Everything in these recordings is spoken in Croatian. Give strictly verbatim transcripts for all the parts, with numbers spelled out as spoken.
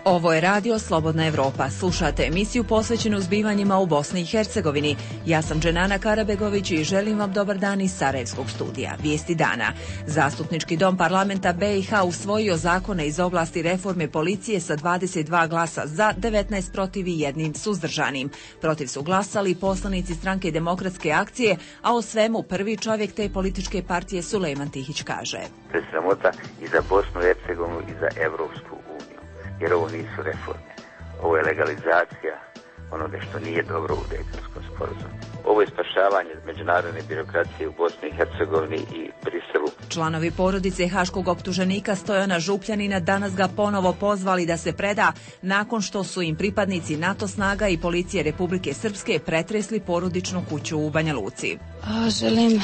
Ovo je radio Slobodna Evropa. Slušate emisiju posvećenu zbivanjima u Bosni i Hercegovini. Ja sam Dženana Karabegović i želim vam dobar dan iz Sarajevskog studija. Vijesti dana. Zastupnički dom parlamenta B i H usvojio zakone iz oblasti reforme policije sa dvadeset dva glasa za, devetnaest protiv i jednim suzdržanim. Protiv su glasali poslanici stranke Demokratske akcije, a o svemu prvi čovjek te političke partije Sulejman Tihić kaže. To je sramota i za Bosnu i Hercegovinu i za Evropsku uniju. Jer ovo nisu reforme. Ovo je legalizacija onoga što nije dobro u Dejtonskom sporazumu. Ovo je spašavanje međunarodne birokracije u Bosni i Hercegovini i Briselu. Članovi porodice haškog optuženika Stojana Župljanina danas ga ponovo pozvali da se preda nakon što su im pripadnici NATO snaga i policije Republike Srpske pretresli porodičnu kuću u Banja Luci. A, želim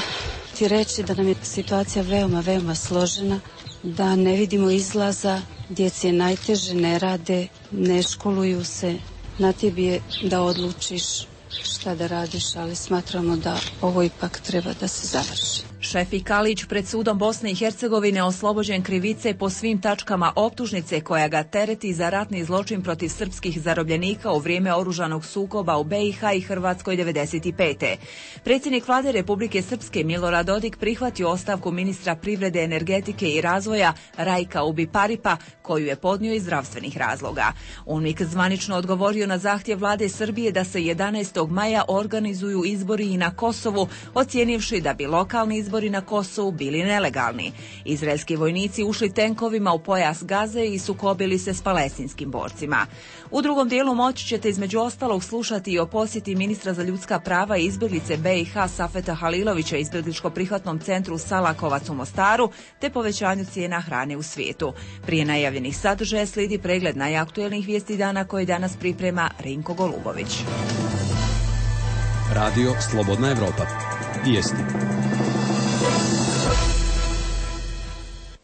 ti reći da nam je situacija veoma, veoma složena, da ne vidimo izlaza, djeci je najteže, ne rade, ne školuju se. Na tebi je da odlučiš šta da radiš, ali smatramo da ovo ipak treba da se završi. Šefik Kalić pred sudom Bosne i Hercegovine oslobođen krivice po svim tačkama optužnice koja ga tereti za ratni zločin protiv srpskih zarobljenika u vrijeme oružanog sukoba u B i H i Hrvatskoj devedeset pete. Predsjednik vlade Republike Srpske Milorad Dodik prihvatio ostavku ministra privrede, energetike i razvoja Rajka Ubiparipa, koju je podnio iz zdravstvenih razloga. UNMIK zvanično odgovorio na zahtjev vlade Srbije da se jedanaestog maja organizuju izbori i na Kosovu, ocijenivši da bi lokalni izbori Izbori na Kosovu bili nelegalni. Izraelski vojnici ušli tenkovima u pojas Gaze i sukobili se s palestinskim borcima. U drugom dijelu moći ćete između ostalog slušati i o posjeti ministra za ljudska prava i izbjeglice B i H Safeta Halilovića izbjegličko-prihvatnom centru Salakovac u Mostaru, te povećanju cijena hrane u svijetu. Prije najavljenih sadržaja slijedi pregled najaktuelnijih vijesti dana koje danas priprema Rinko Golubović. Radio Slobodna Evropa. Vijesti.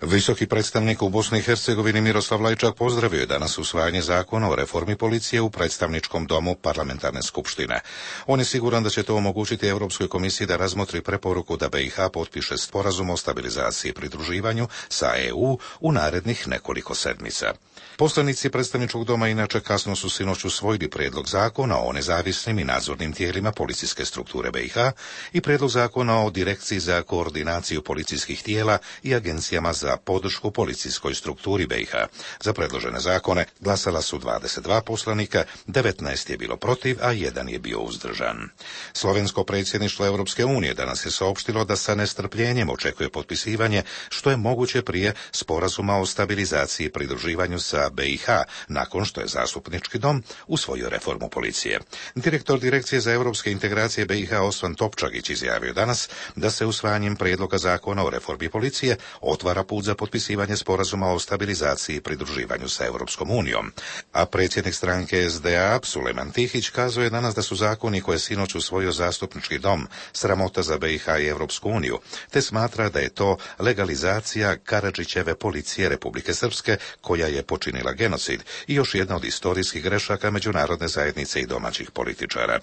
Visoki predstavnik u Bosni i Hercegovini Miroslav Lajčak pozdravio je danas usvajanje zakona o reformi policije u predstavničkom domu parlamentarne skupštine. On je siguran da će to omogućiti Europskoj komisiji da razmotri preporuku da B i H potpiše sporazum o stabilizaciji i pridruživanju sa E U u narednih nekoliko sedmica. Poslanici predstavničkog doma inače kasno su sinoć usvojili prijedlog zakona o nezavisnim i nadzornim tijelima policijske strukture B i H i prijedlog zakona o direkciji za koordinaciju policijskih tijela i agencijama za podršku policijskoj strukturi B i H. Za predložene zakone glasala su dvadeset dva poslanika, devetnaest je bilo protiv, a jedan je bio uzdržan. Slovensko predsjedništvo Europske unije danas je saopštilo da sa nestrpljenjem očekuje potpisivanje što je moguće prije sporazuma o stabilizaciji i pridruživanju sa B i H, nakon što je zastupnički dom usvojio reformu policije. Direktor Direkcije za europske integracije B i H Osvan Topčagić izjavio danas da se usvajanjem prijedloga zakona o reformi policije otvara put za potpisivanje sporazuma o stabilizaciji i pridruživanju sa Europskom unijom. A predsjednik stranke S D A Sulejman Tihić kazuje danas da su zakoni koje sinoć usvojio zastupnički dom sramota za B i H i Europsku uniju, te smatra da je to legalizacija Karadžićeve policije Republike Srpske koja je počinila genocid i još jedna od istorijskih grešaka međunarodne zajednice i domaćih političara.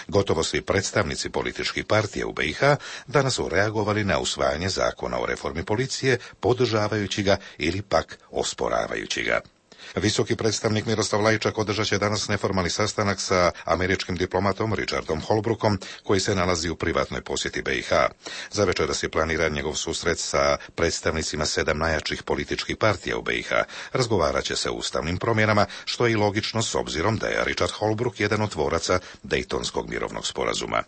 Gotovo svi predstavnici političkih partija u B i H danas su reagovali na usvajanje zakona o reformi policije, podržavajući ga ili pak osporavajući ga. Visoki predstavnik Miroslav Lajčak održat će danas neformalni sastanak sa američkim diplomatom Richardom Holbrookom, koji se nalazi u privatnoj posjeti B i H. Za večeras je planiran njegov susret sa predstavnicima sedam najjačih političkih partija u B i H. Razgovarat će se o ustavnim promjenama, što je i logično s obzirom da je Richard Holbrooke jedan od tvoraca Dejtonskog mirovnog sporazuma.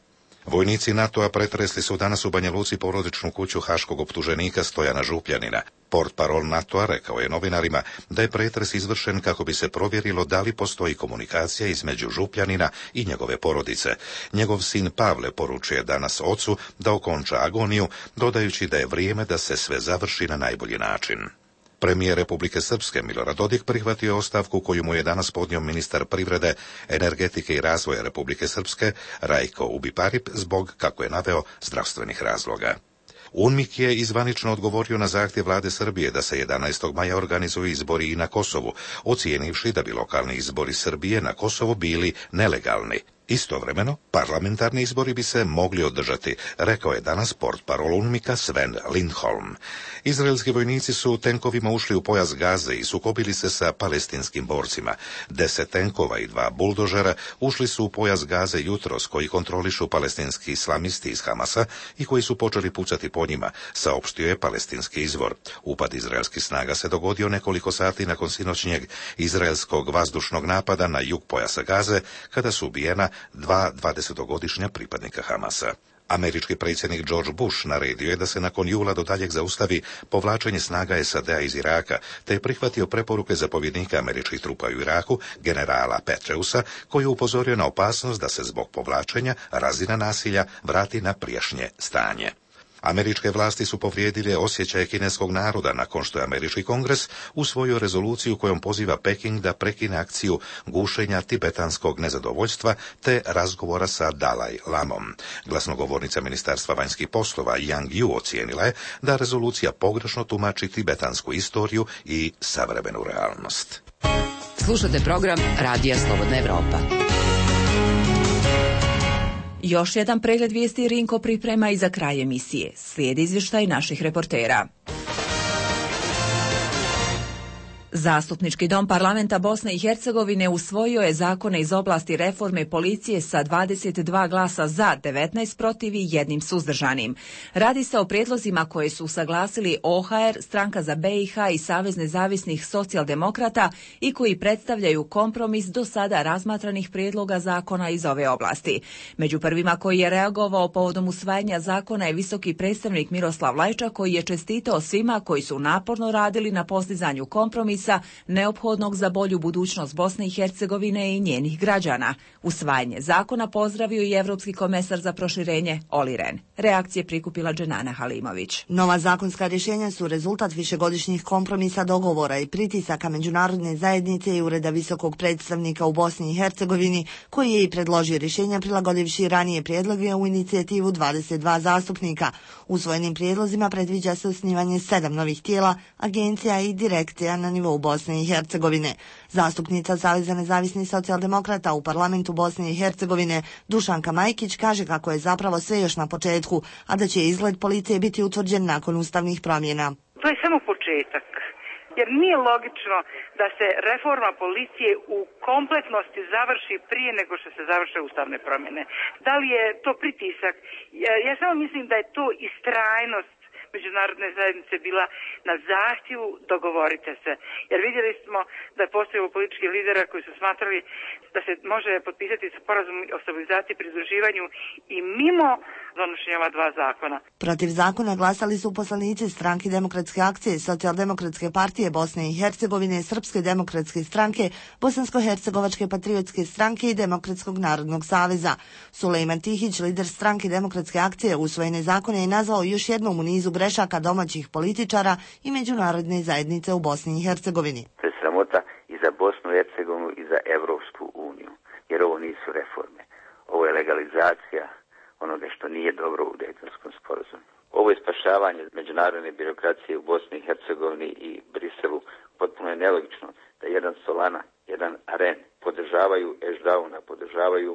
Vojnici NATO-a pretresli su danas u Banja Luci porodičnu kuću haškog optuženika Stojana Župljanina. Portparol NATO-a rekao je novinarima da je pretres izvršen kako bi se provjerilo da li postoji komunikacija između Župljanina i njegove porodice. Njegov sin Pavle poručuje danas ocu da okonča agoniju, dodajući da je vrijeme da se sve završi na najbolji način. Premijer Republike Srpske Milorad Dodik prihvatio ostavku koju mu je danas podnio ministar privrede, energetike i razvoja Republike Srpske Rajko Ubiparip zbog, kako je naveo, zdravstvenih razloga. UNMIK je izvanično odgovorio na zahtjev vlade Srbije da se jedanaestog maja organizuju izbori i na Kosovu, ocijenivši da bi lokalni izbori Srbije na Kosovu bili nelegalni. Istovremeno, parlamentarni izbori bi se mogli održati, rekao je danas portparol UNMIK-a Sven Lindholm. Izraelski vojnici su tenkovima ušli u pojas Gaze i sukobili se sa palestinskim borcima. Deset tenkova i dva buldožera ušli su u pojas Gaze jutros, koji kontrolišu palestinski islamisti iz Hamasa i koji su počeli pucati po njima, saopštio je palestinski izvor. Upad izraelskih snaga se dogodio nekoliko sati nakon sinoćnjeg izraelskog vazdušnog napada na jug pojasa Gaze, kada su ubijena dva dvadesetogodišnja pripadnika Hamasa. Američki predsjednik George Bush naredio je da se nakon jula do daljeg zaustavi povlačenje snaga S A D-a iz Iraka, te je prihvatio preporuke zapovjednika američkih trupa u Iraku, generala Petreusa, koji je upozorio na opasnost da se zbog povlačenja razina nasilja vrati na prijašnje stanje. Američke vlasti su povrijedile osjećaje kineskog naroda nakon što je američki kongres usvojio rezoluciju kojom poziva Peking da prekine akciju gušenja tibetanskog nezadovoljstva te razgovora sa Dalaj Lamom. Glasnogovornica Ministarstva vanjskih poslova Yang Yu ocijenila je da rezolucija pogrešno tumači tibetansku istoriju i savremenu realnost. Slušate program Radija Slobodna Evropa. Još jedan pregled vijesti Rinko priprema i za kraj emisije. Slijedi izvještaj naših reportera. Zastupnički dom parlamenta Bosne i Hercegovine usvojio je zakone iz oblasti reforme policije sa dvadeset dva glasa za, devetnaest protiv i jednim suzdržanim. Radi se o prijedlozima koje su usaglasili O H R, Stranka za B i H i Savez nezavisnih socijaldemokrata i koji predstavljaju kompromis do sada razmatranih prijedloga zakona iz ove oblasti. Među prvima koji je reagovao povodom usvajanja zakona je visoki predstavnik Miroslav Lajčak, koji je čestitao svima koji su naporno radili na postizanju kompromisa neophodnog za bolju budućnost Bosne i Hercegovine i njenih građana. Usvajanje zakona pozdravio i Evropski komesar za proširenje Olli Rehn. Reakcije prikupila Dženana Halimović. Nova zakonska rješenja su rezultat višegodišnjih kompromisa, dogovora i pritisaka međunarodne zajednice i Ureda visokog predstavnika u Bosni i Hercegovini, koji je i predložio rješenja prilagodivši ranije prijedloge u inicijativu dvadeset dva zastupnika. Usvojenim prijedlozima predviđa se osnivanje sedam novih tijela, agencija i direkcija na nivou Bosne i Hercegovine. Zastupnica Saveza nezavisnih socijaldemokrata u parlamentu Bosne i Hercegovine Dušanka Majkić kaže kako je zapravo sve još na početku, a da će izgled policije biti utvrđen nakon ustavnih promjena. To je samo početak, jer nije logično da se reforma policije u kompletnosti završi prije nego što se završe ustavne promjene. Da li je to pritisak? Ja, ja samo mislim da je to istrajnost međunarodne zajednice bila na zahtjevu dogovorite se. Jer vidjeli smo da je postojalo političkih lidera koji su smatrali da se može potpisati sporazum o stabilizaciji i pridruživanju i mimo donošenja ova dva zakona. Protiv zakona glasali su poslanici Stranke demokratske akcije, Socijaldemokratske partije Bosne i Hercegovine, Srpske demokratske stranke, Bosansko-hercegovačke patriotske stranke i Demokratskog narodnog saveza. Sulejman Tihić, lider Stranke demokratske akcije, usvojene zakone je nazvao još jednom u nizu grešaka domaćih političara i međunarodne zajednice u Bosni i Hercegovini. To je sramota i za Bosnu i Hercegovinu i za Evropsku uniju, jer ovo nisu reforme. Ovo je legalizacija onoga što nije dobro u Dejtonskom sporazumu. Ovo je spašavanje međunarodne birokracije u Bosni i Hercegovini i Briselu. Potpuno je nelogično da jedan Solana, jedan Aren podržavaju Ešdauna, podržavaju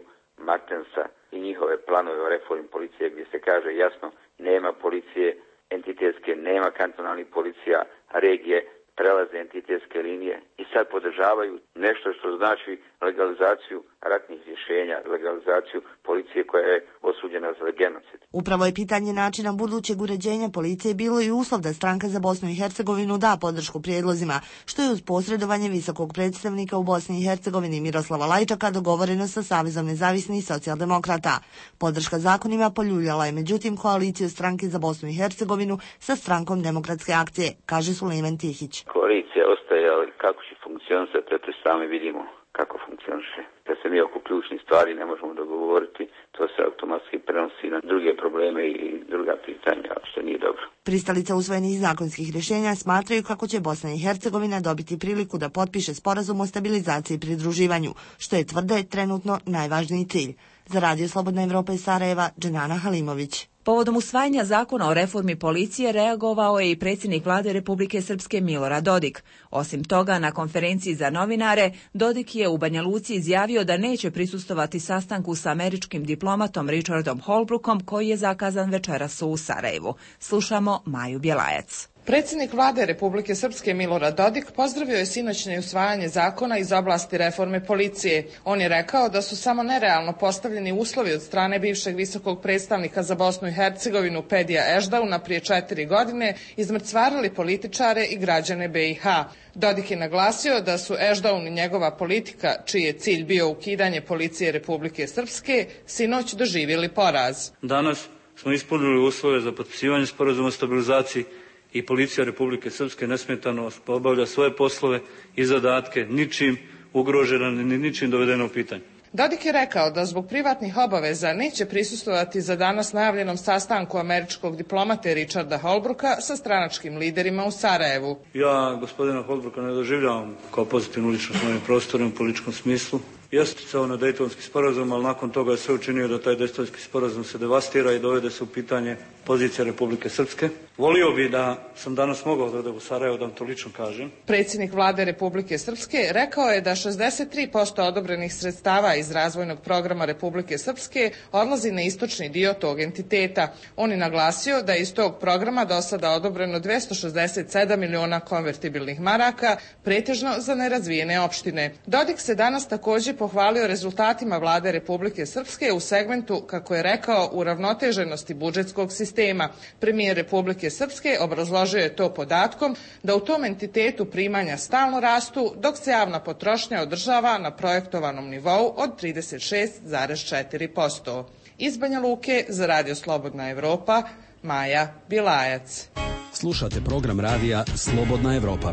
Martensa i njihove planove o reformi policije, gdje se kaže jasno nema policije entitetske, nema kantonalnih policija, regije prelaze entitetske linije i sad podržavaju nešto što znači legalizaciju ratnih rješenja, legalizaciju policije koja je osuđena za genocid. Upravo je pitanje načina budućeg uređenja policije bilo i uslov da Stranka za Bosnu i Hercegovinu da podršku prijedlozima, što je uz posredovanje visokog predstavnika u Bosni i Hercegovini Miroslava Lajčaka dogovoreno sa Savezom nezavisnih socijaldemokrata. Podrška zakonima poljuljala je međutim koaliciju Stranke za Bosnu i Hercegovinu sa Strankom demokratske akcije, kaže Sulejman Tihić. Koalicija ostaje, ali kako će funkcionisati, to sami vidimo kako funkcioniše. Da se mi oko ključnih stvari ne možemo dogovoriti, to se automatski prenosi na druge probleme i druga pitanja, što nije dobro. Pristalice usvojenih zakonskih rješenja smatraju kako će Bosna i Hercegovina dobiti priliku da potpiše sporazum o stabilizaciji i pridruživanju, što je tvrde trenutno najvažniji cilj. Za Radio Slobodna Evropa iz Sarajeva, Dženana Halimović. Povodom usvajanja zakona o reformi policije reagovao je i predsjednik vlade Republike Srpske Milorad Dodik. Osim toga, na konferenciji za novinare, Dodik je u Banja Luci izjavio da neće prisustvovati sastanku sa američkim diplomatom Richardom Holbrookom koji je zakazan večeras u Sarajevu. Slušamo Maju Bjelajac. Predsjednik vlade Republike Srpske Milorad Dodik pozdravio je sinoćnje usvajanje zakona iz oblasti reforme policije. On je rekao da su samo nerealno postavljeni uslovi od strane bivšeg visokog predstavnika za Bosnu i Hercegovinu Pedija Ešdauna prije četiri godine izmrcvarili političare i građane be i ha. Dodik je naglasio da su Ešdaun i njegova politika, čiji je cilj bio ukidanje policije Republike Srpske, sinoć doživjeli poraz. Danas smo ispunili uslove za potpisivanje sporazuma o stabilizaciji i policija Republike Srpske nesmetano obavlja svoje poslove i zadatke, ničim ugrožena ni ničim dovedena u pitanje. Dodik je rekao da zbog privatnih obaveza neće prisustvovati za danas najavljenom sastanku američkog diplomate Richarda Holbrooka sa stranačkim liderima u Sarajevu. Ja gospodina Holbrooka ne doživljavam kao pozitivnu ličnost u ovim prostorima u političkom smislu. Jeste sticao na Dejtonski sporazum, ali nakon toga je sve učinio da taj Dejtonski sporazum se devastira i dovede se u pitanje pozicija Republike Srpske. Volio bi da sam danas mogao da odem u Sarajevo, da vam to lično kažem. Predsjednik vlade Republike Srpske rekao je da šezdeset tri posto odobrenih sredstava iz razvojnog programa Republike Srpske odlazi na istočni dio tog entiteta. On je naglasio da je iz tog programa do sada odobreno dvesta šezdeset sedam miliona konvertibilnih maraka, pretežno za nerazvijene opštine. Dodik se danas također pohvalio rezultatima vlade Republike Srpske u segmentu, kako je rekao, uravnoteženosti budžetskog sistema. Premijer Republike Srpske obrazložio je to podatkom da u tom entitetu primanja stalno rastu, dok se javna potrošnja održava na projektovanom nivou od trideset šest zarez četiri posto. Iz Banja Luke za Radio Slobodna Evropa, Maja Bjelajac. Slušate program radija Slobodna Evropa.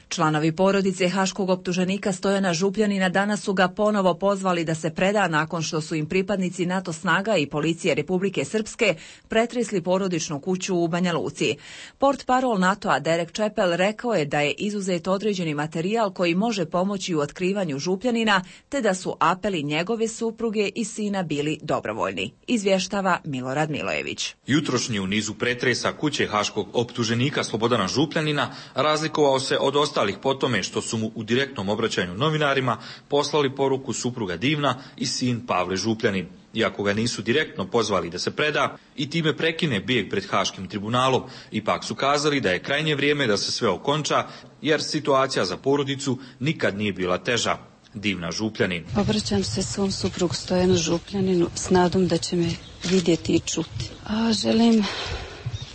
Članovi porodice haškog optuženika Stojana Župljanina danas su ga ponovo pozvali da se preda nakon što su im pripadnici NATO snaga i policije Republike Srpske pretresli porodičnu kuću u Banja Luci. Portparol NATO-a Derek Chappell rekao je da je izuzet određeni materijal koji može pomoći u otkrivanju Župljanina, te da su apeli njegove supruge i sina bili dobrovoljni. Izvještava Milorad Milojević. Jutrošnji u nizu pretresa kuće haškog optuženika Slobodana Župljanina razlikovao se od ostalih po tome što su mu u direktnom obraćanju novinarima poslali poruku supruga Divna i sin Pavle Župljanin. Iako ga nisu direktno pozvali da se preda i time prekine bijeg pred Haškim tribunalom, ipak su kazali da je krajnje vrijeme da se sve okonča, jer situacija za porodicu nikad nije bila teža. Divna Župljanin. Obraćam se svom suprugu Stojanu Župljaninu s nadom da će me vidjeti i čuti. A želim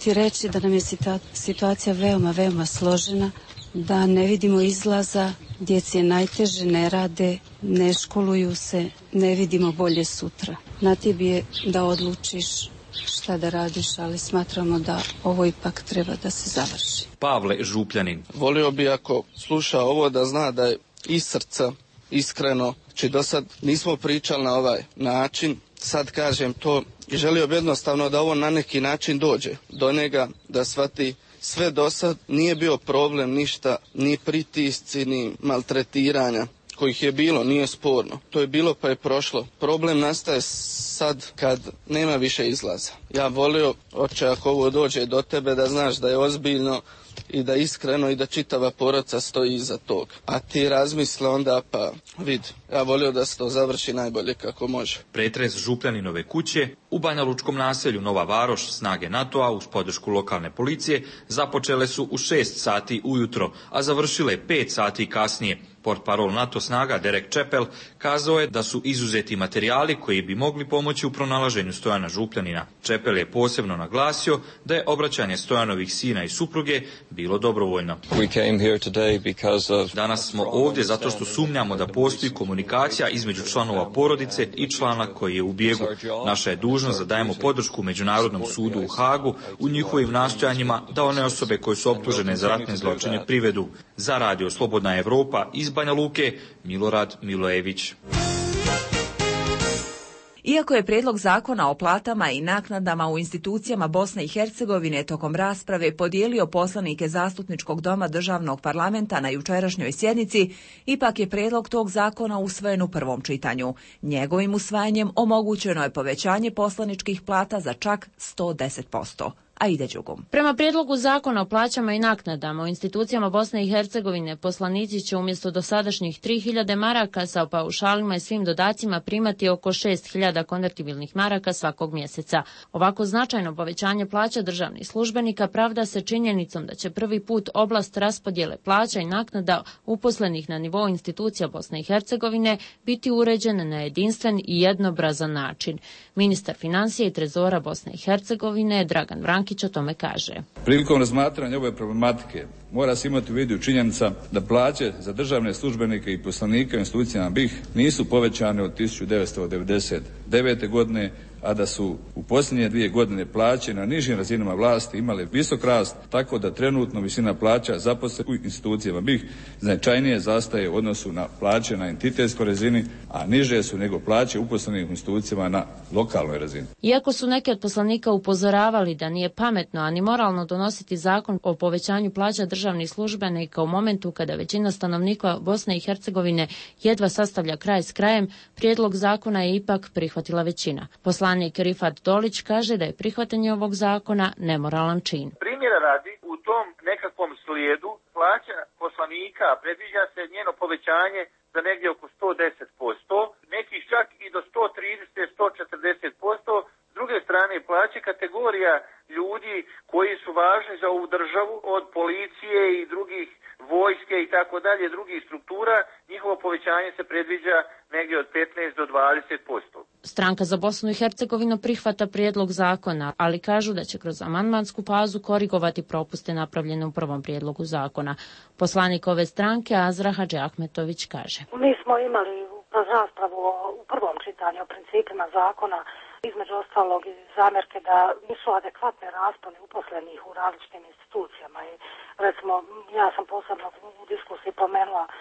ti reći da nam je situacija veoma, veoma složena, da ne vidimo izlaza, djeci je najteže, ne rade, ne školuju se, ne vidimo bolje sutra. Na tebi je da odlučiš šta da radiš, ali smatramo da ovo ipak treba da se završi. Pavle Župljanin. Volio bi ako sluša ovo da zna da je iz srca, iskreno, či do sad nismo pričali na ovaj način, sad kažem to i želio bi jednostavno da ovo na neki način dođe do njega, da shvati sve do sad nije bio problem ništa, ni pritisci, ni maltretiranja kojih je bilo, nije sporno. To je bilo pa je prošlo. Problem nastaje sad kad nema više izlaza. Ja volio, oče, ako ovo dođe do tebe, da znaš da je ozbiljno i da iskreno i da čitava porodica stoji iza tog. A ti razmisle onda, pa vidi, ja volio da se to završi najbolje kako može. Pretres Župljaninove kuće u banjalučkom naselju Nova Varoš snage NATO-a uz podršku lokalne policije započele su u šest sati ujutro, a završile pet sati kasnije. Portparol NATO snaga Derek Chappell kazao je da su izuzeti materijali koji bi mogli pomoći u pronalaženju Stojana Župljanina. Chappell je posebno naglasio da je obraćanje Stojanovih sina i supruge bilo dobrovoljno. Danas smo ovdje zato što sumnjamo da postoji komunikacija između članova porodice i člana koji je u bijegu. Naša je dužnost da dajemo podršku Međunarodnom sudu u Hagu u njihovim nastojanjima da one osobe koje su optužene za ratne zločine privedu. Za Radio Slobodna Evropa iz Banja Luke, Milorad Milojević. Iako je prijedlog zakona o platama i naknadama u institucijama Bosne i Hercegovine tokom rasprave podijelio poslanike Zastupničkog doma državnog parlamenta na jučerašnjoj sjednici, ipak je prijedlog tog zakona usvojen u prvom čitanju. Njegovim usvajanjem omogućeno je povećanje poslaničkih plata za čak sto deset posto. Aida Đugum. Prema prijedlogu zakona o plaćama i naknadama u institucijama Bosne i Hercegovine poslanici će umjesto dosadašnjih tri hiljade maraka sa paušalima i svim dodacima primati oko šest hiljada konvertibilnih maraka svakog mjeseca. Ovako značajno povećanje plaća državnih službenika pravda se činjenicom da će prvi put oblast raspodjele plaća i naknada uposlenih na nivou institucija Bosne i Hercegovine biti uređen na jedinstven i jednobrazan način. Ministar financija i trezora Bosne i Hercegovine Dragan Vrankić o tome kaže. Prilikom razmatranja ove problematike mora se imati u vidu činjenica da plaće za državne službenike i poslanike u institucijama B i H nisu povećane od tisuću devetsto devedeset devete. godine, a da su u posljednje dvije godine plaće na nižim razinama vlasti imale visok rast, tako da trenutno visina plaća zaposlenih u institucijama B i H značajnije zastaje u odnosu na plaće na entitetskoj razini, a niže su nego plaće uposlenih u institucijama na lokalnoj razini. Iako su neki od poslanika upozoravali da nije pametno, a ni moralno donositi zakon o povećanju plaća državnih službenika u momentu kada većina stanovnika Bosne i Hercegovine jedva sastavlja kraj s krajem, prijedlog zakona je ipak prihvatila većina. Poslanik Rifat Dolić kaže da je prihvatanje ovog zakona nemoralan čin. Primjera radi, u tom nekakvom slijedu plaća poslanika predviđa se njeno povećanje za negdje oko sto deset posto, nekih čak i do sto trideset do sto četrdeset posto. S druge strane, plaće kategorija ljudi koji su važni za ovu državu, od policije i drugih vojske i tako dalje, drugih struktura, njihovo povećanje se predviđa negdje od petnaest do dvadeset posto. Stranka za Bosnu i Hercegovinu prihvata prijedlog zakona, ali kažu da će kroz amandmansku fazu korigovati propuste napravljene u prvom prijedlogu zakona. Poslanik ove stranke Azra Hadži Ahmetović kaže. Mi smo imali kroz raspravu u prvom čitanju o principima zakona, između ostalog i zamjerke da nisu adekvatne rasponi uposlenih u različitim institucijama. I recimo, ja sam posebno u diskusiji pomenula e,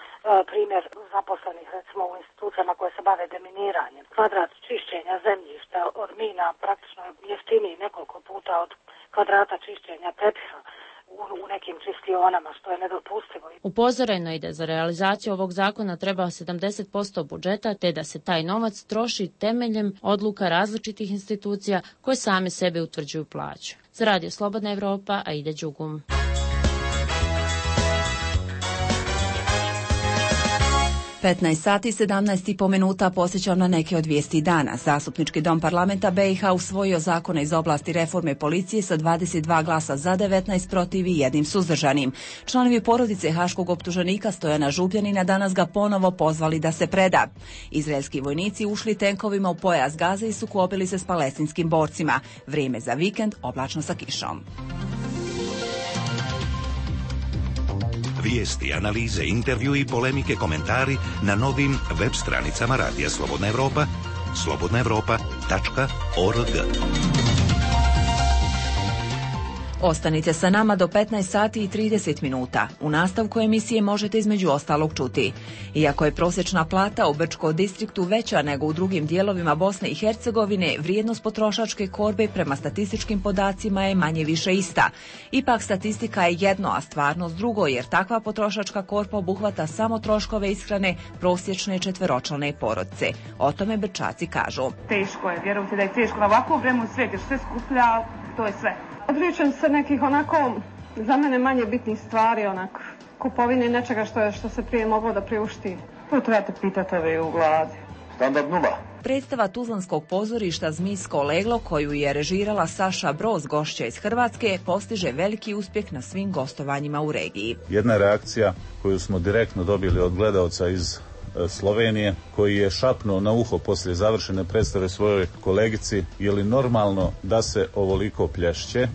primjer zaposlenih recimo u institucijama koje se bave deminiranjem. Kvadrat čišćenja zemljišta od mina praktično jeftiniji nekoliko puta od kvadrata čišćenja tepiha u nekim čistionama, što je nedopustivo. Upozoreno je da za realizaciju ovog zakona treba sedamdeset posto budžeta, te da se taj novac troši temeljem odluka različitih institucija koje same sebe utvrđuju plaću. Za Radio Slobodna Evropa, Aida Đugum. petnaest sati i sedamnaest i po minuta posjećam na neke od vijesti dana. Zastupnički dom parlamenta B i H usvojio zakone iz oblasti reforme policije sa dvadeset dva glasa za, devetnaest protiv i jednim suzdržanim. Članovi porodice haškog optuženika Stojana Župljanina danas ga ponovo pozvali da se preda. Izraelski vojnici ušli tenkovima u pojas Gaze i sukobili se s palestinskim borcima. Vrijeme za vikend oblačno sa kišom. Vijesti, analize, intervju i polemike, komentari na novim web stranicama Radija Slobodna Evropa, slobodna evropa tačka org. Ostanite sa nama do petnaest sati i trideset minuta. U nastavku emisije možete između ostalog čuti. Iako je prosječna plata u Brčko distriktu veća nego u drugim dijelovima Bosne i Hercegovine, vrijednost potrošačke korbe prema statističkim podacima je manje više ista. Ipak statistika je jedno, a stvarnost drugo, jer takva potrošačka korpa obuhvata samo troškove ishrane prosječne četveročlane porodice. O tome Brčaci kažu. Teško je, vjerujte da je teško na ovakvu vremenu svijet, jer sve skuplja, to je sve. Odričem se nekih onako, za mene manje bitnih stvari, onak, kupovine nečega što, je, što se prije moglo da priušti. To trebate pitati ove u vladi. Standard nula. Predstava Tuzlanskog pozorišta Zmijsko leglo, koju je režirala Saša Broz, gošća iz Hrvatske, postiže veliki uspjeh na svim gostovanjima u regiji. Jedna reakcija koju smo direktno dobili od gledaoca iz Slovenije, koji je šapnuo na uho poslije završene predstave svojoj kolegici: je li normalno da se ovoliko plješće?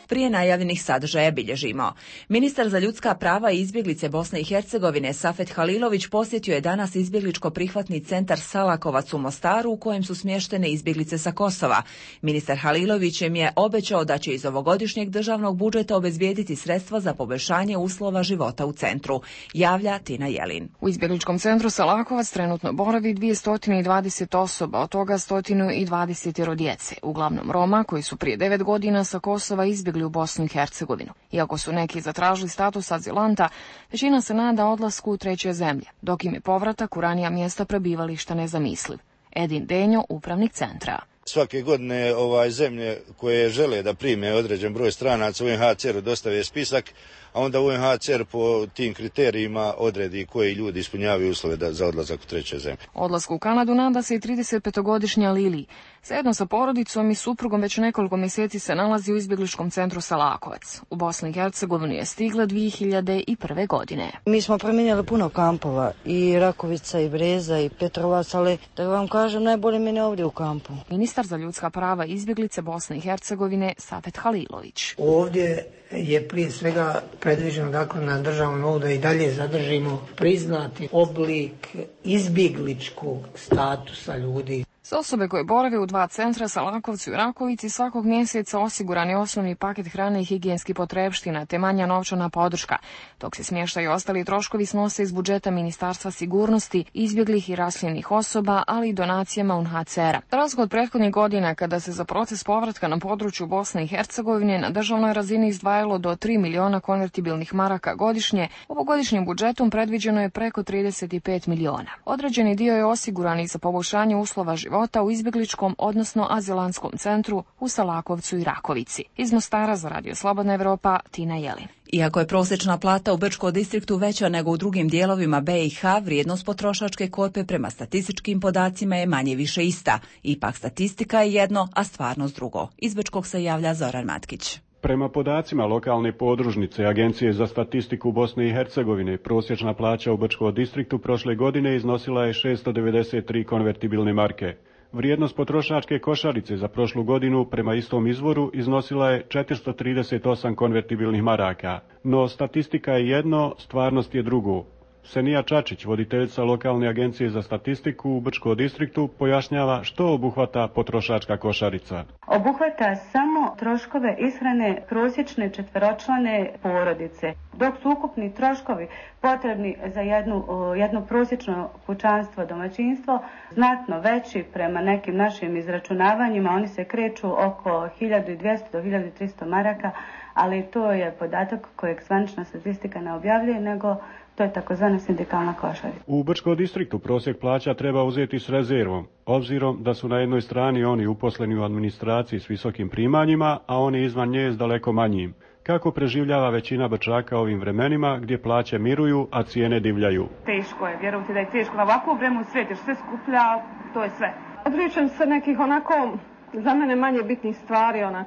Prije najavljenih sadržaja bilježimo. Ministar za ljudska prava i izbjeglice Bosne i Hercegovine Safet Halilović posjetio je danas izbjegličko prihvatni centar Salakovac u Mostaru u kojem su smještene izbjeglice sa Kosova. Ministar Halilović im je obećao da će iz ovogodišnjeg državnog budžeta obezbijediti sredstva za poboljšanje uslova života u centru. Javlja Tina Jelin. U izbjegličkom centru Salakovac trenutno boravi dvjesto dvadeset osoba, od toga sto dvadeset djece, uglavnom Roma koji su prije devet godina sa Kosova izbjegli u Bosnu i Hercegovinu. Iako su neki zatražili status azilanta, većina se nada odlasku u treće zemlje, dok im je povratak u ranija mjesta prebivališta nezamisliv. Edin Denjo, upravnik centra. Svake godine ovaj zemlje koje žele da prime određen broj stranaca u U N H C R-u dostave spisak, a onda U N H C R po tim kriterijima odredi koji ljudi ispunjavaju uslove da, za odlazak u treće zemlje. Odlasku u Kanadu nada se i tridesetpetogodišnja Lili. Zajedno sa porodicom i suprugom već nekoliko mjeseci se nalazi u izbjegličkom centru Salakovac. U Bosni i Hercegovini je stigla dvije hiljade prve. godine. Mi smo promijenjali puno kampova, i Rakovica, i Breza, i Petrovac, ali da vam kažem, najbolje meni ovdje u kampu. Ministar za ljudska prava i izbjeglice Bosne i Hercegovine Safet Halilović. Ovdje je prije svega predviđeno dakle na državnom nivou da i dalje zadržimo priznati oblik izbjegličkog statusa ljudi. Za osobe koje borave u dva centra, Salakovcu i Rakovici, svakog mjeseca osiguran je osnovni paket hrane i higijenskih potrepština, te manja novčana podrška, dok se smještaju ostali troškovi snose iz budžeta Ministarstva sigurnosti, izbjeglih i raseljenih osoba, ali i donacijama U N H C R-a. Za razliku od prethodnih godina, kada se za proces povratka na području Bosne i Hercegovine na državnoj razini izdvajalo do tri miliona konvertibilnih maraka godišnje, ovogodišnjim budžetom predviđeno je preko trideset pet miliona. Određeni dio je osiguran i za poboljšanje uslova života u izbjegličkom, odnosno azilantskom centru u Salakovcu i Rakovici. Iz Mostara za Radio Slobodna Evropa, Tina Jelin. Iako je prosječna plata u Brčkom distriktu veća nego u drugim dijelovima B i H, vrijednost potrošačke korpe prema statističkim podacima je manje više ista. Ipak statistika je jedno, a stvarnost drugo. Iz Brčkog se javlja Zoran Matkić. Prema podacima lokalne podružnice Agencije za statistiku Bosne i Hercegovine, prosječna plaća u Brčkom distriktu prošle godine iznosila je šesto devedeset tri konvertibilne marke. Vrijednost potrošačke košarice za prošlu godinu prema istom izvoru iznosila je četiristo trideset osam konvertibilnih maraka. No statistika je jedno, stvarnost je drugo. Senija Čačić, voditeljica lokalne agencije za statistiku u Brčkom distriktu, pojašnjava što obuhvata potrošačka košarica. Obuhvata samo troškove ishrane prosječne četveročlane porodice, dok su ukupni troškovi potrebni za jednu, jedno prosječno kućanstvo, domaćinstvo, znatno veći prema nekim našim izračunavanjima. Oni se kreću oko hiljadu dvjesto do hiljadu tristo maraka, ali to je podatak kojeg zvanična statistika ne objavljuje, nego to je takozvana sindikalna košarica. U Brčkom distriktu prosjek plaća treba uzeti s rezervom, obzirom da su na jednoj strani oni uposleni u administraciji s visokim primanjima, a oni izvan nje s daleko manjim. Kako preživljava većina Brčaka ovim vremenima gdje plaće miruju, a cijene divljaju? Teško je, vjerujte da je teško. Na ovakvu vremenu u svijetu sve skuplja, to je sve. Odričem se nekih onako, za mene manje bitnih stvari, onak,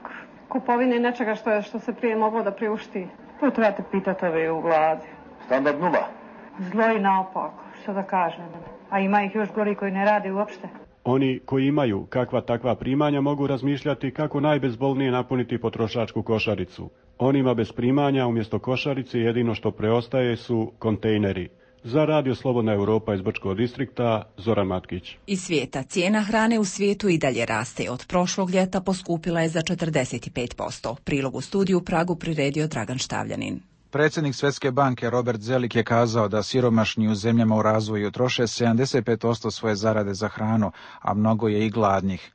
kupovine nečega što, je, što se prije moglo da priušti. To trebate pitati ove u vladi. Standard nula. Zlo i naopako, što da kažem. A ima ih još gori koji ne rade uopšte. Oni koji imaju kakva takva primanja mogu razmišljati kako najbezbolnije napuniti potrošačku košaricu. Onima bez primanja umjesto košarice jedino što preostaje su kontejneri. Za Radio Slobodna Europa iz Brčkog distrikta, Zoran Matkić. Iz svijeta cijena hrane u svijetu i dalje raste. Od prošlog ljeta poskupila je za četrdeset pet posto. Prilog u studiju Pragu priredio Dragan Štavljanin. Predsjednik Svjetske banke Robert Zelik je kazao da siromašni u zemljama u razvoju troše sedamdeset pet posto svoje zarade za hranu, a mnogo je i gladnih.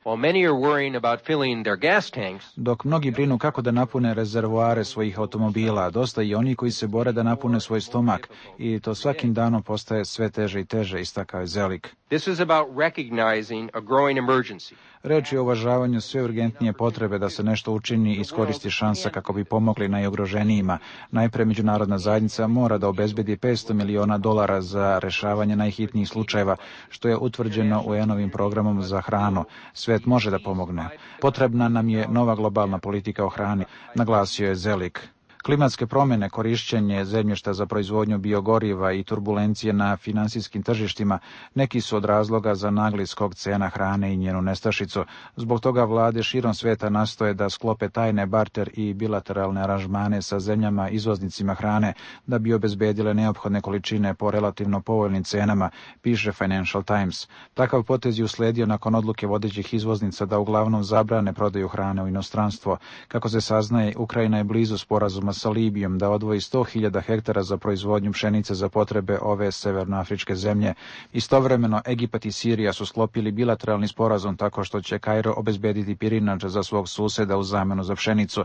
Dok mnogi brinu kako da napune rezervoare svojih automobila, dosta i oni koji se bore da napune svoj stomak, i to svakim danom postaje sve teže i teže, istakao je Zelik. This is about recognizing a growing emergency. Reč je o uvažavanju sve urgentnije potrebe da se nešto učini i iskoristi šansa kako bi pomogli najugroženijima. Najpre međunarodna zajednica mora da obezbedi petsto miliona dolara za rešavanje najhitnijih slučajeva, što je utvrđeno U N-ovim programom za hranu. Svet može da pomogne. Potrebna nam je nova globalna politika o hrani, naglasio je Zelik. Klimatske promjene, korišćenje zemljišta za proizvodnju biogoriva i turbulencije na finansijskim tržištima neki su od razloga za nagli skok cena hrane i njenu nestašicu. Zbog toga vlade širom svijeta nastoje da sklope tajne barter i bilateralne aranžmane sa zemljama izvoznicima hrane da bi obezbedile neophodne količine po relativno povoljnim cenama, piše Financial Times. Takav potez je usledio nakon odluke vodećih izvoznica da uglavnom zabrane prodaju hrane u inostranstvo. Kako se saznaje, Ukrajina je blizu sporazuma sa Libijom da odvoji sto hiljada hektara za proizvodnju pšenice za potrebe ove severnoafričke zemlje. Istovremeno, Egipat i Sirija su sklopili bilateralni sporazum tako što će Kairo obezbediti pirinač za svog suseda u zamenu za pšenicu.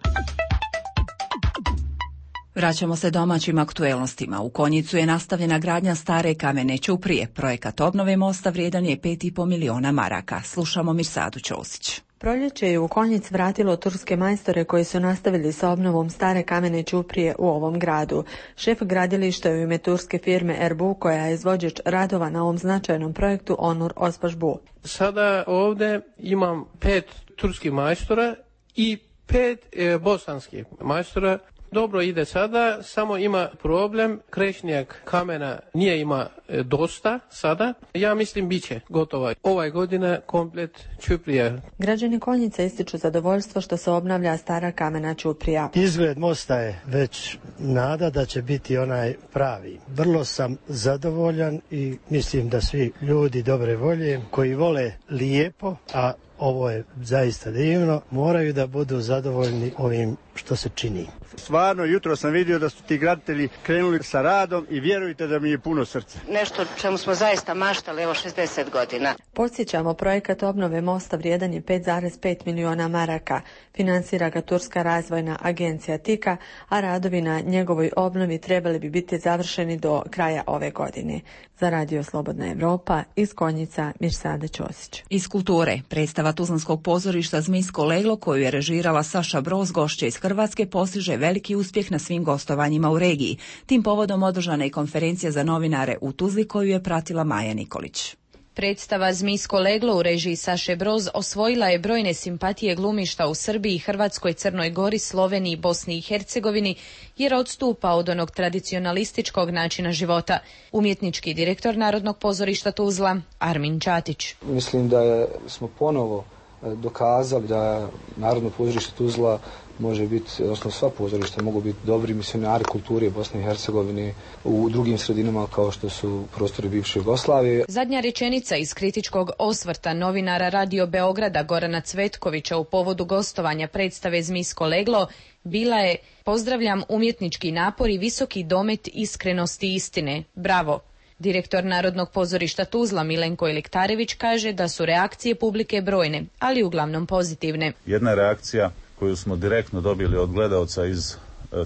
Vraćamo se domaćim aktuelnostima. U Konjicu je nastavljena gradnja stare kamene ćuprije. Projekat obnove mosta vrijedan je pet i po miliona maraka. Slušamo Mirsadu Ćosić. Proljeće je u Konjic vratilo turske majstore koji su nastavili sa obnovom stare kamene ćuprije u ovom gradu. Šef gradilišta je u ime turske firme Erbu, koja je izvođač radova na ovom značajnom projektu, Onur Ospašbu. Sada ovdje imam pet turskih majstora i pet e, bosanskih majstora. Dobro ide sada, samo ima problem, krešnjak kamena nije ima e, dosta sada. Ja mislim bit će gotova ovaj godina komplet ćuprija. Građani Konjica ističu zadovoljstvo što se obnavlja stara kamena ćuprija. Izgled mosta je već nada da će biti onaj pravi. Vrlo sam zadovoljan i mislim da svi ljudi dobre volje koji vole lijepo, a ovo je zaista divno, moraju da budu zadovoljni ovim što se čini. Stvarno, jutro sam vidio da su ti graditelji krenuli sa radom i vjerujte da mi je puno srce. Nešto čemu smo zaista maštali, evo šezdeset godina. Podsjećamo, projekat obnove mosta vrijedan je pet zarez pet miliona maraka. Finansira ga Turska razvojna agencija Tika, a radovi na njegovoj obnovi trebali bi biti završeni do kraja ove godine. Za Radio Slobodna Evropa, iz Konjica, Mirsada Ćosić. Iz kulture, predstava Tuzlanskog pozorišta Zmijsko leglo, koju je režirala Saša Broz, gošće iz Hrvatske, postiže veliki uspjeh na svim gostovanjima u regiji. Tim povodom održana je konferencija za novinare u Tuzli, koju je pratila Maja Nikolić. Predstava Zmijsko leglo u režiji Saše Broz osvojila je brojne simpatije glumišta u Srbiji, Hrvatskoj, Crnoj Gori, Sloveniji, Bosni i Hercegovini, jer odstupa od onog tradicionalističkog načina života. Umjetnički direktor Narodnog pozorišta Tuzla, Armin Čatić. Mislim da je, smo ponovo dokazali da Narodno pozorište Tuzla može biti, odnosno sva pozorišta mogu biti dobri misionari kulture Bosne i Hercegovine u drugim sredinama kao što su prostori bivše Jugoslavije. Zadnja rečenica iz kritičkog osvrta novinara Radio Beograda Gorana Cvetkovića u povodu gostovanja predstave Zmijsko leglo bila je: pozdravljam umjetnički napor i visoki domet iskrenosti istine. Bravo! Direktor Narodnog pozorišta Tuzla Milenko Iliktarević kaže da su reakcije publike brojne, ali uglavnom pozitivne. Jedna reakcija koju smo direktno dobili od gledaoca iz e,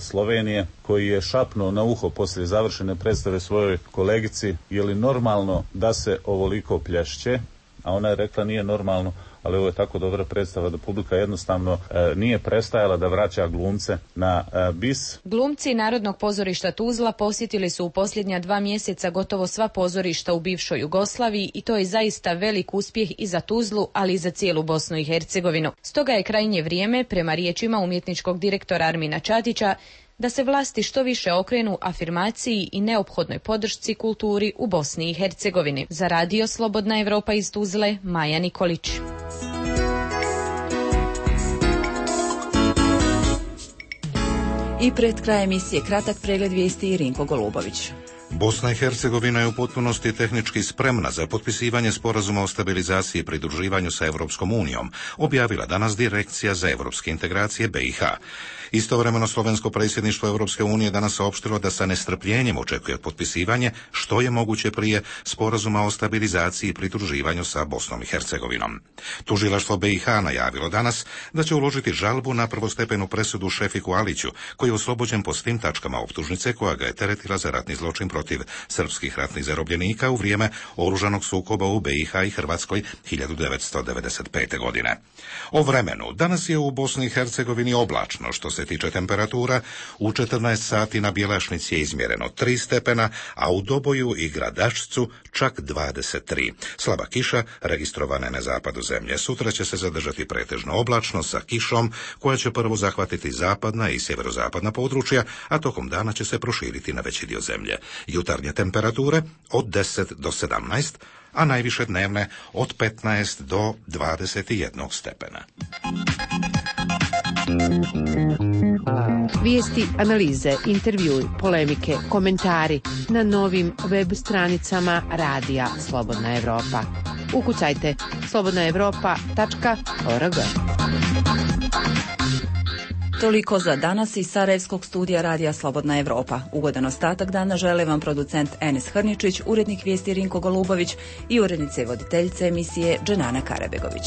Slovenije, koji je šapnuo na uho poslije završene predstave svojoj kolegici: je li normalno da se ovoliko plješće? A ona je rekla: nije normalno, ali ovo je tako dobra predstava da publika jednostavno e, nije prestajala da vraća glumce na e, bis. Glumci Narodnog pozorišta Tuzla posjetili su u posljednja dva mjeseca gotovo sva pozorišta u bivšoj Jugoslaviji i to je zaista velik uspjeh i za Tuzlu, ali i za cijelu Bosnu i Hercegovinu. Stoga je krajnje vrijeme, prema riječima umjetničkog direktora Armina Čatića, da se vlasti što više okrenu afirmaciji i neophodnoj podršci kulturi u Bosni i Hercegovini. Za Radio Slobodna Evropa iz Tuzle, Maja Nikolić. I pred kraj emisije kratak pregled vijesti i Rinko Golubović. Bosna i Hercegovina je u potpunosti tehnički spremna za potpisivanje sporazuma o stabilizaciji i pridruživanju sa Europskom unijom, objavila danas Direkcija za europske integracije B i H. Istovremeno slovensko predsjedništvo Europske unije danas saopštilo da sa nestrpljenjem očekuje potpisivanje što je moguće prije sporazuma o stabilizaciji i pridruživanju sa Bosnom i Hercegovinom. Tužilaštvo B i H najavilo danas da će uložiti žalbu na prvostepenu presudu Šefiku Aliću, koji je oslobođen po svim tačkama optužnice koja ga je teretila za ratni zločin protiv protiv srpskih ratnih zarobljenika u vrijeme oružanog sukoba u B i H i Hrvatskoj hiljadu devetsto devedeset pete. godine. O vremenu. Danas je u Bosni i Hercegovini oblačno. Što se tiče temperatura, u četrnaest sati na Bjelašnici je izmjereno tri stepena, a u Doboju i Gradačcu čak dvadeset tri. Slaba kiša registrovana je na zapadu zemlje. Sutra će se zadržati pretežno oblačno sa kišom koja će prvo zahvatiti zapadna i sjeverozapadna područja, a tokom dana će se proširiti na veći dio zemlje. Jutarnje temperature od deset do sedamnaest, a najviše dnevne od petnaest do dvadeset jedan stepena. Vijesti, analize, intervjui, polemike, komentari na novim web stranicama Radija Slobodna Evropa. Ukucajte slobodna evropa tačka org. Toliko za danas iz Sarajevskog studija Radija Slobodna Evropa. Ugodan ostatak dana žele vam producent Enes Hrničić, urednik vijesti Rinko Golubović i urednice i voditeljice emisije Dženana Karabegović.